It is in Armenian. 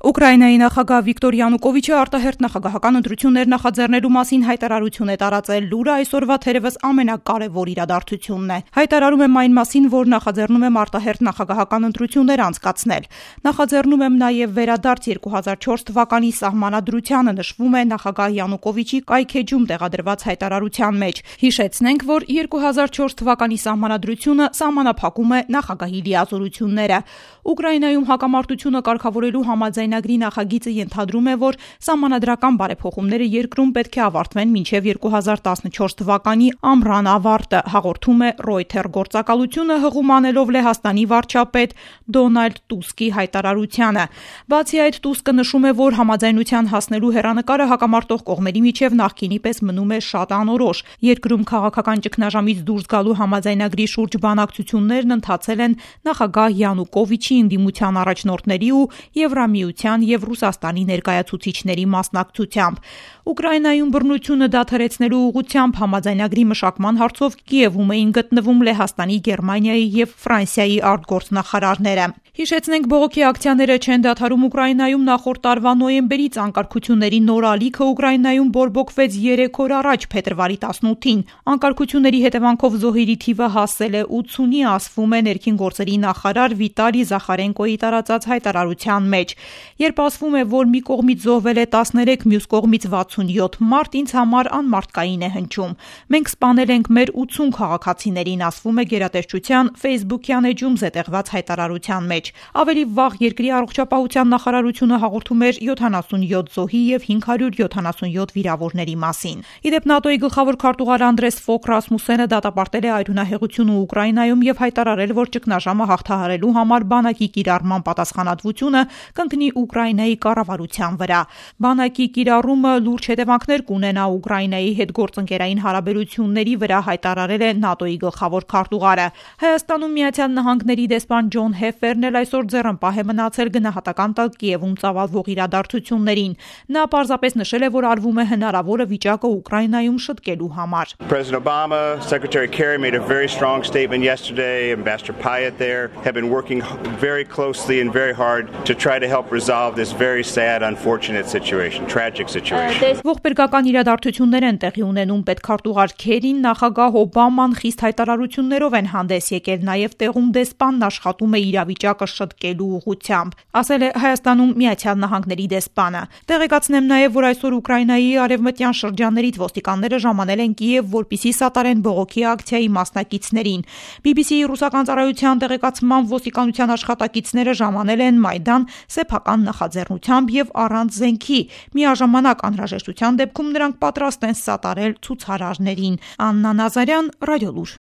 Ուկրաինայի նախագահ Վիկտոր Յանուկովիչը արտահերթ նախագահական ընտրություններ նախաձեռնելու մասին հայտարարություն է տարածել։ Լուրը այսօրվա թերևս ամենակարևոր իրադարձությունն է։ Հայտարարում եմ այն մասին, որ նախաձեռնում եմ արտահերթ նախագահական ընտրություններ անցկացնել։ Նախաձեռնում եմ նաև վերադարձ 2004 թվականի սահմանադրությանը, նշվում է նախագահ Յանուկովիչի կայքեջում տեղադրված հայտարարության մեջ։ Հիշեցնենք, որ 2004 թվականի սահմանադրությունը սահմանափակում է նախագահի լիազորությունները։ Ուկրաինայում հակամարտությունը կարգավորելու համաձայնագրի նախագիծը ենթադրում է, որ սահմանադրական բարեփոխումները երկրում պետք է ավարտվեն մինչև 2014 թվականի ամռան ավարտը, հաղորդում է Reuters գործակալությունը, հղում անելով Լեհաստանի վարչապետ Դոնալդ Տուսկի հայտարարությանը։ Բացի այդ, Տուսկը նշում է, որ համաձայնության հասնելու հեռանկարը հակամարտող կողմերի միջև նախկինի պես մնում է շատ անորոշ։ Երկրում քաղաքական ճգնաժամից դուրս գալու համաձայնագրի շուրջ բանակցություններն ընթացել են նախագահ Յանուկովիչի ընդդիմության առաջնորդների ու Եվրամիության եւ Ռուսաստանի ներկայացուցիչների մասնակցությամբ։ Ուկրաինայում բռնությունը դադարեցնելու ուղղությամբ համաձայնագրի մշակման հարցով Կիևում էին գտնվում Լեհաստանի, Գերմանիայի եւ Ֆրանսիայի արտգործնախարարները։ Հիշեցնենք, բողոքի ակցիաները չեն դադարում Ուկրաինայում նախորդ տարվա նոյեմբերից անկարգությունների նոր ալիքը Ուկրաինայում բորբոքվեց 3 օր առաջ, փետրվարի 18-ին։ Անկարգությունների հետևանքով զոհերի թիվը հասել է 80-ի, ասվում է ներքին գործերի նախարար Վիտալի Զախարենկոյի տարածած հայտարարության մեջ։ Երբ ասվում է, որ մի կողմից զոհվել է 13, մյուս կողմից 67 մարդ, ինձ համար անմարդկային է հնչում։ Մենք սպանել ենք մեր 80 քաղաքացիներին, ասվում է գերատեսչության Facebook-յան էջում զետեղված հայտարարության մեջ։ Ավելի վաղ երկրի առողջապահության նախարարությունը հաղորդում էր 77 զոհի եւ 577 վիրավորների մասին։ Իդեպ ՆԱՏՕ-ի գլխավոր քարտուղար Անդրես Ֆոկ Ռասմուսենը դատապարտել է արյունահեղությունը Ուկրաինայում եւ հայտարարել, որ ճգնաժամը հաղթահարելու համար բանակի կիրառման պատասխանատվությունը կընկնի Ուկրաինայի կառավարության վրա։ Բանակի կիրառումը լուրջ հետևանքներ կունենա Ուկրաինայի հետ գործընկերային հարաբերությունների վրա, հայտարարել է ՆԱՏՕ-ի գլխավոր քարտուղարը։ Հայաստանում Միացյալ Նահանգների դեսպան Ջոն Հեֆերն էլ այսօր ձեռնպահ է մնացել գնահատական տալ Կիևում ծավալվող իրադարձություններին։ Նա պարզապես նշել է, որ արվում է հնարավորը վիճակը Ուկրաինայում շտկելու համար։ President Obama, Secretary Kerry made a very strong statement yesterday. Ambassador Pyatt there have been working very closely and very hard to try to help resolve this very sad, unfortunate situation, tragic situation. Ողբերգական իրադարձություններ են տեղի ունենում, պետքարտուղար Քերին, նախագահ Օբաման խիստ հայտարարություններով են հանդես եկել, նաև տեղում դեսպանն աշխատում է իրավիճակը շտկելու ուղղությամբ, ասել է Հայաստանում Միացյալ Նահանգների դեսպանը։ Տեղեկացնեմ նաև, որ այսօր Ուկրաինայի արևմտյան շրջաններից ոստիկանները ժամանել են Կիև, որպեսզի սատարեն բողոքի ակցիայի մասնակիցներին։ BBC-ի ռուսական ծառայության տեղեկացմամբ ոստիկանության աշխատակիցները ժամանել են Մայդան սեփական նախաձեռնությամբ եւ առանց զենքի։ Միաժամանակ անհրաժեշտության դեպքում նրանք պատրաստ են սատարել ցուցարարներին։ Աննա Նազարյան, Ռադիոլուր։